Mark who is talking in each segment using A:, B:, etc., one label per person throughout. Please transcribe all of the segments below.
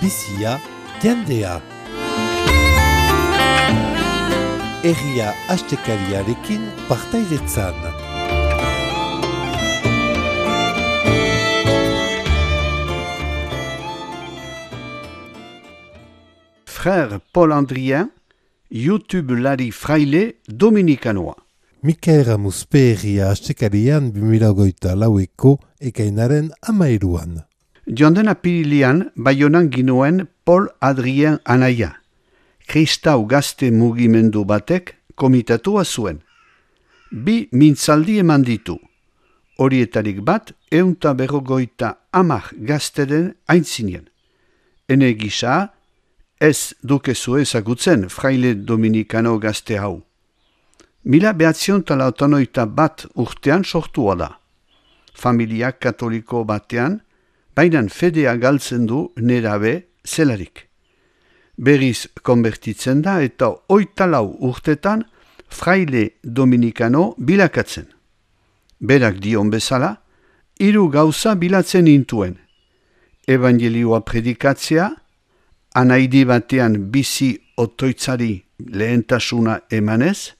A: bizia, jendea. Herria astekariarekin partaidetzan.
B: Frère Paul Andrien, YouTube-lari fraile dominikanoa.
A: Mikael Ramuspe herria astekarian 2024ko ekainaren 13an.
B: Joan apirilean Baionan ginuen Paul Adrien anaia. Kristau gazte mugimendu batek komitatua zuen. 2 mintzaldi eman ditu. Horietarik bat 150 gazteren aintzinien. Ene gisa, ez dukezu ezagutzen fraile dominikano gazte hau. 1981 urtean sortua da. Familia katoliko batean, bainan fedea galtzen du nerabe zelarik. Berriz konbertitzen da eta 24 urtetan fraile dominikano bilakatzen. Berak dion bezala, 3 gauza bilatzen intuen. Evangelioa predikatzea, anaidi batean bizi otoitzari lehentasuna emanez,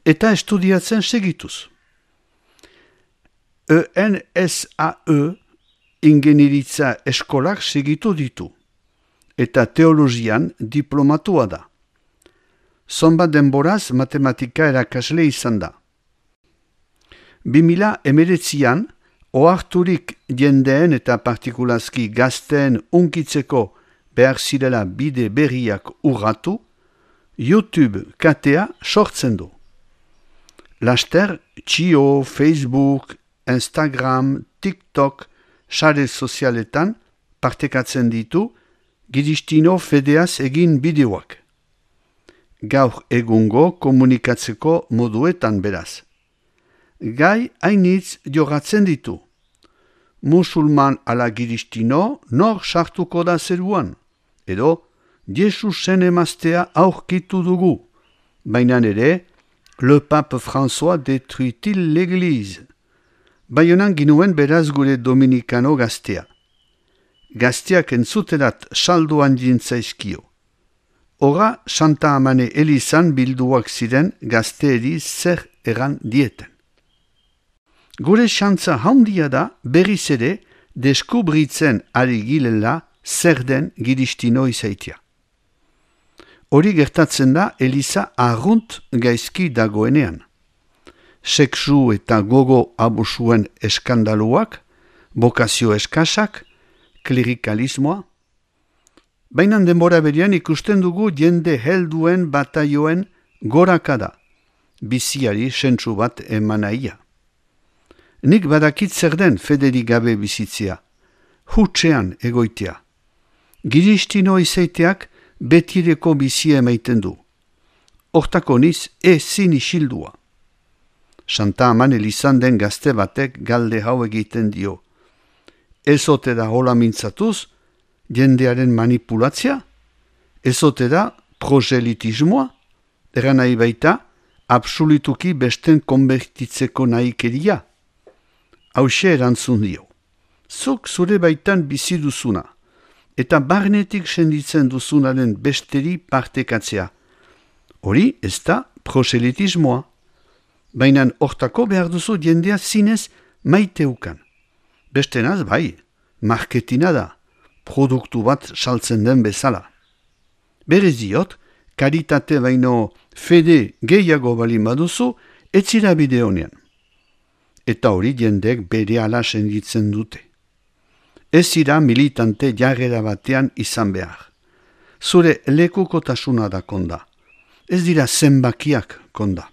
B: eta estudiatzen segituz. ENSAE ingeniritza eskolak segitu ditu, eta teologian diplomatua da. Zonbat denboraz matematika erakasle izan da. 2019an, oharturik jendeen eta partikulazki gazteen unkitzeko behar zirela bide berriak urratu, YouTube katea sortzen du. Laster, Txio, Facebook, Instagram, TikTok, sare sozialetan partekatzen ditu Giristino fedeaz egin bideoak. Gaur egungo komunikatzeko moduetan beraz. Gai hainitz jogatzen ditu. Musulman ala Giristino nor sartuko da zeruan, edo Jesusen emaztea aurkitu dugu, baina ere le pape François détruit-il l'église. Baionan ginuen beraz gure dominikano gaztea. Gazteak entzuterat salduan jintzaizkio. Hora Santa Amane Elizan bilduak ziren gazteeri zer egan dieten. Gure xantza handia da berriz ere deskubritzen ari gilela zer den Giristino izaitia. Hori gertatzen da Eliza arrunt gaizki dagoenean. Sexu eta gogo abusuen eskandaluak, bokazio eskasak, klerikalismoa. Baina denbora berian ikusten dugu jende helduen bataioen gorakada, biziari sentsu bat emanaia. Nik badakit zer den federik gabe bizitzea, hutsean egoitea. Giristino izaiteak betireko bizia emaiten du. Hortako niz ezin isildua. Santa Aman Elizan den gazte batek galde hau egiten dio. Ezote da hola mintzatuz, jendearen manipulatzia? Ezote da proselitismoa? Eran nahi baita, absolutuki besten konbertitzeko nahikeria? Hauxe erantzun dio. Zuk zure baitan bizi duzuna, eta barnetik senditzen duzunaren besteri partekatzea. Hori ez da proselitismoa. Baina hortako behar duzu jendea zinez maiteukan. Bestenaz bai, marketina da, produktu bat saltzen den bezala. Berez diot, karitate baino fede gehiago balin baduzu, etzira bide honean. Eta hori jendek bere ala senditzen dute. Ez ira militante jarrera batean izan behar. Zure lekukotasuna da konda. Ez dira zenbakiak konda.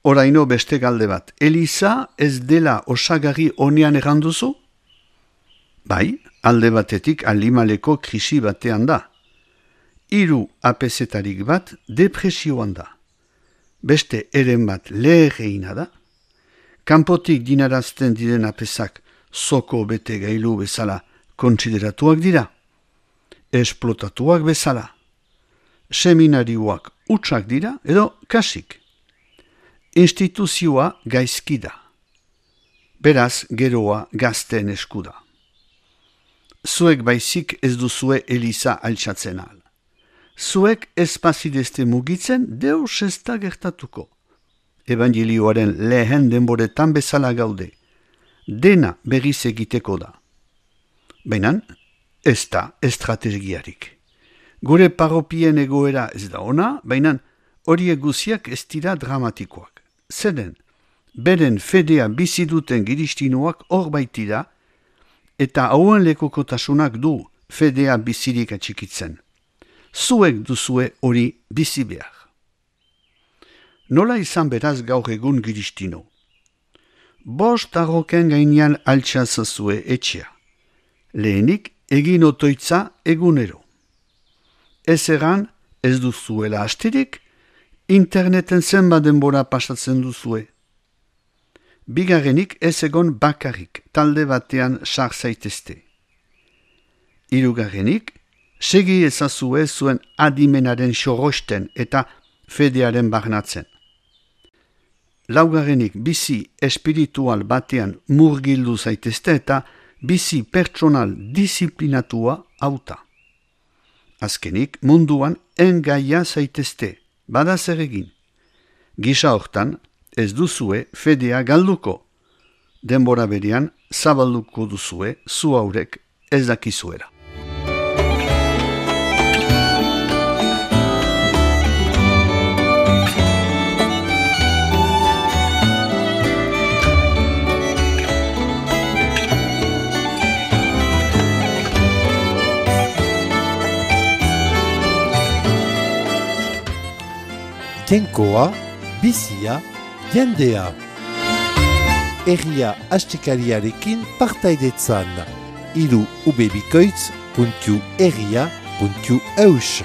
B: Oraino beste galde bat, Eliza ez dela osagarri honean erranduzu? Bai, alde batetik alimaleko krisi batean da. 3 apezetarik bat depresioan da. Beste eren bat leherreina da. Kanpotik dinarazten diren apezak zoko bete gailu bezala kontsideratuak dira. Esplotatuak bezala. Seminarioak utxak dira edo kasik. Instituzioa gaizki da. Beraz, geroa gazteen eskuda. zuek baizik ez duzue Eliza altxatzen ahal. Zuek ez bazidezte mugitzen, deus ez da gertatuko. Evangelioaren lehen denboretan bezala gaude. Dena berriz egiteko da. Baina, ez da estrategiarik. Gure parropien egoera ez da ona, baina horiek guziak ez dira dramatikoak. Zeren, beren fedea bizi duten giristinoak hor baitira, eta hauen lekokotasunak du fedea bizirik atxikitzen. Zuek duzue hori bizi behar. Nola izan beraz gaur egun giristino? 5 arroken gainean altxazazue etxea. Lehenik egin otoitza egunero. Ez egan ez duzuela astirik, interneten zenbat denbora pasatzen duzue. Bigarrenik ez egon bakarrik, talde batean sar zaitezte. Hirugarrenik, segi ezazue zuen adimenaren xorosten eta fedearen barnatzen. Laugarrenik, bizi espiritual batean murgildu zaitezte eta bizi pertsonal disiplinatua hauta. Azkenik, munduan engaia zaitezte, bada zer egin. Gisa hortan, ez duzue fedea galduko. Denbora berean, zabalduko duzue, zu haurek ez dakizuela.
A: Jainkoa, bizia, jendea. Herria astekariarekin partaidetzan. ubebikoitz.herria.eus